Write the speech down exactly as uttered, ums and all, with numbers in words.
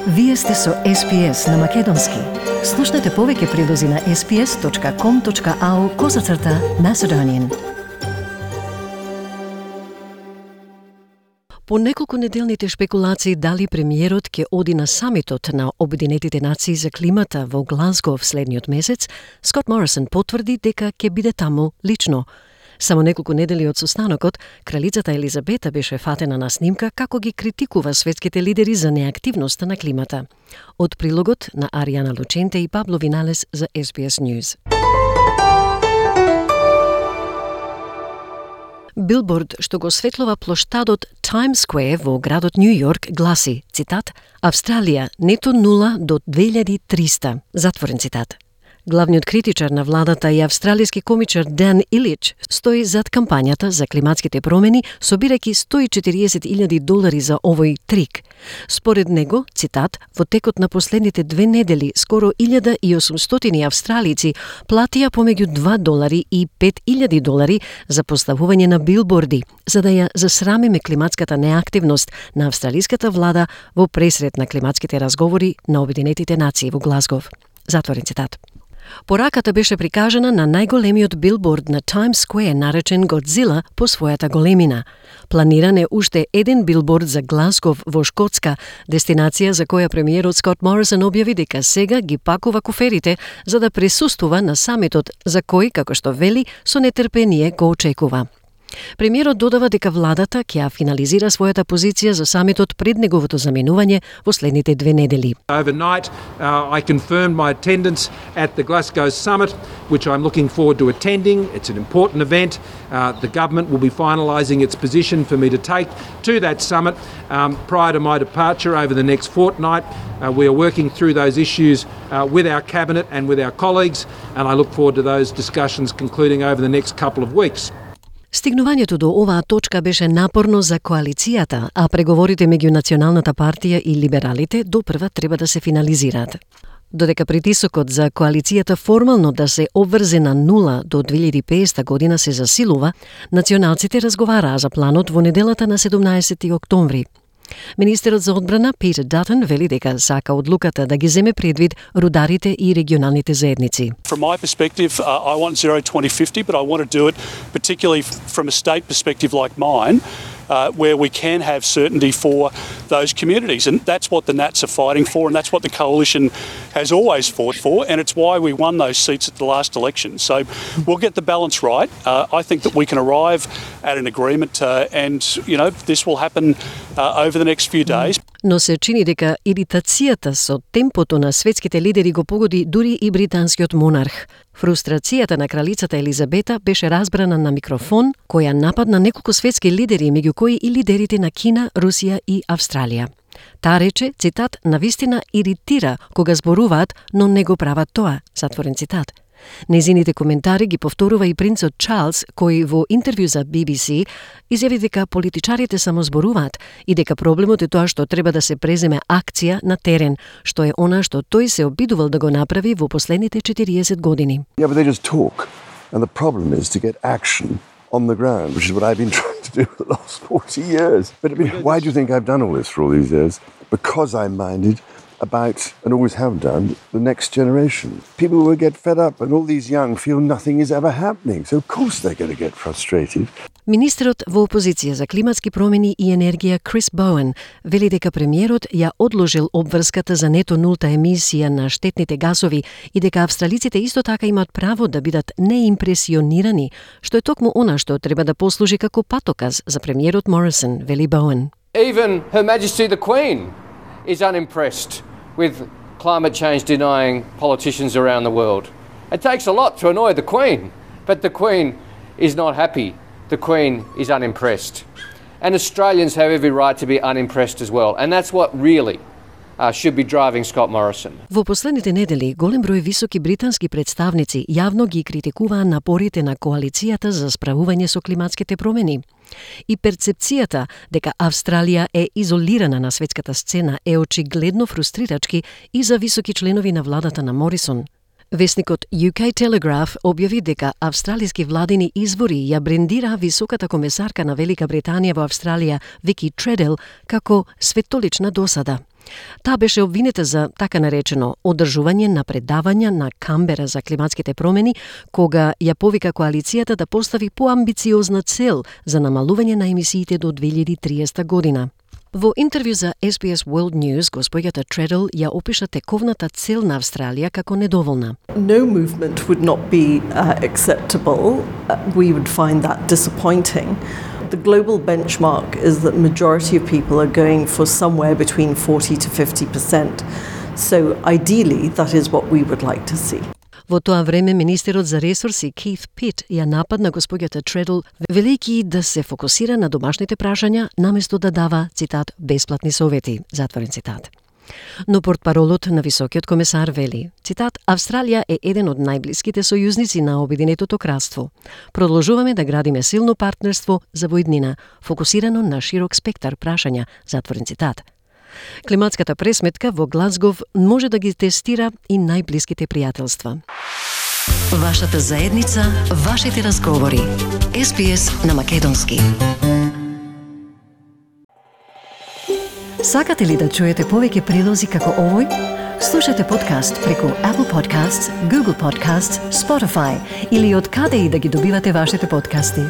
Вие сте со Ес Би Ес на Македонски. Слушнете повеќе прилози на ес би ес точка ком точка ау козацрта Macedonian. По неколку неделните шпекулации дали премиерот ќе оди на самитот на Обединетите нации за климата во Глазго следниот месец, Скот Морисон потврди дека ќе биде таму лично. Само неколку недели од состанокот, кралицата Елизабета беше фатена на снимка како ги критикува светските лидери за неактивноста на климата. Од прилогот на Ариана Лученте и Пабло Виналес за Ес Би Ес News. Билборд што го осветлува плоштадот Times Square во градот Нью Йорк гласи, цитат, Австралија нето нула до две илјади и триста, затворен цитат. Главниот критичар на владата и австралиски комичар Дан Илич стои зад кампањата за климатските промени, собирајќи сто и четириесет илјади долари за овој трик. Според него, цитат, во текот на последните две недели скоро илјада и осумстотини австралици платија помеѓу два долари и пет илјади долари за поставување на билборди, за да ја засрамиме климатската неактивност на австралиската влада во пресред на климатските разговори на Обединетите нации во Глазгов. Затворен цитат. Пораката беше прикажана на најголемиот билборд на Times Square, наречен Годзила по својата големина. Планиран е уште еден билборд за Глазгов во Шкотска, дестинација за која премиерот Скот Морисон објави дека сега ги пакува куферите за да присуствува на самитот, за кој, како што вели, со нетрпение го очекува. Премиерот додава дека владата ќе финализира својата позиција за самитот пред неговото заменување во следните две недели. Overnight, uh, I confirmed my attendance at the Glasgow summit, which I'm looking forward to attending. It's an important event. Uh, the government will be finalising its position for me to take to that summit um, prior to my departure over the next fortnight. Uh, we are working through those issues uh, with our cabinet and with our colleagues, and I look forward to those discussions concluding over the next couple of weeks. Стигнувањето до оваа точка беше напорно за коалицијата, а преговорите меѓу Националната партија и либералите допрва треба да се финализираат. Додека притисокот за коалицијата формално да се обврзе на нула до две илјади и петдесета година се засилува, националците разговараа за планот во неделата на седумнаесети октомври. Министерот за одбрана Питер Датон вели дека сака одлуката да ги земе предвид рударите и регионалните заедници. From my perspective, uh, I want zero twenty fifty, but I want to do it particularly from a state perspective like mine, uh, where we can have certainty for those communities. And that's what the Nats are fighting for, and that's what the coalition has always fought for, and it's why we won those seats at the last election. So we'll get the balance right. Uh, I think that we can arrive at an agreement, uh, and, you know, this will happen uh, over the next few days. Но се чини дека иритацијата со темпото на светските лидери го погоди дури и британскиот монарх. Фрустрацијата на кралицата Елизабета беше разбрана на микрофон, која нападна неколку светски лидери, меѓу кои и лидерите на Кина, Русија и Австралија. Таа рече, цитат, навистина иритира кога зборуваат, но не го прават тоа, затворен цитат. Незините коментари ги повторува и принцот Чарлс, кој во интервју за Би Би Си изјави дека политичарите само зборуваат и дека проблемот е тоа што треба да се преземе акција на терен, што е она што тој се обидувал да го направи во последните четириесет години. Yeah, but they just talk, and the problem is to get action on the ground, which is what I've been trying to do for the last forty years. But I mean, why do you think I've done all this for all these years? Because I'm minded about, and always have done, the next generation. People will get fed up, and all these young feel nothing is ever happening. So of course they're going to get frustrated. Министерот во опозиција за климатски промени и енергија Крис Боуен вели дека премиерот ја одложил обврската за нето нулта емисија на штетните гасови и дека австралиците исто така имаат право да бидат неимпресионирани, што е токму она што треба да послужи како патоказ за премиерот Морисон, вели Боуен. Even Her Majesty the Queen is unimpressed with climate change denying politicians around the world. It takes a lot to annoy the Queen, but the Queen is not happy. The Queen is unimpressed. And Australians have every right to be unimpressed as well. And that's what really uh, should be driving Scott Morrison. Во последните недели голем број високи британски представници јавно ги критикуваа напорите на коалицијата за справување со климатските промени. И перцепцијата дека Австралија е изолирана на светската сцена е очигледно фрустрирачки и за високи членови на владата на Морисон. Весникот Ю Кей Telegraph објави дека австралиски владини извори ја брендира високата комесарка на Велика Британија во Австралија Вики Тредел како светолична досада. Таа беше обвинета за така наречено одржување на предавања на Камбера за климатските промени, кога ја повика коалицијата да постави поамбициозна цел за намалување на емисиите до две илјади и триесета година. Во интервју за Ес Би Ес World News, госпоѓата Тредл ја опиша тековната цел на Австралија како недоволна. No movement would not be uh, acceptable. Uh, we would find that disappointing. The global benchmark is that majority of people are going for somewhere between forty to fifty percent. So ideally, that is what we would like to see. Во тоа време, министерот за ресурси Кейт Пит ја нападна госпоѓата Тредл, велејќи да се фокусира на домашните прашања, наместо да дава, цитат, бесплатни совети, затворен цитат. Но портпаролот на високиот комесар вели, цитат, Австралија е еден од најблиските сојузници на Обединетото кралство. Продолжуваме да градиме силно партнерство за воиднина, фокусирано на широк спектар прашања, затворен цитат. Климатската пресметка во Глазгов може да ги тестира и најблиските пријателства. Вашата заедница, вашите разговори. Ес Би Ес на македонски. Сакате ли да чуете повеќе прилози како овој? Слушате подкаст преку Apple Podcasts, Google Podcasts, Spotify или од каде и да ги добивате вашите подкасти.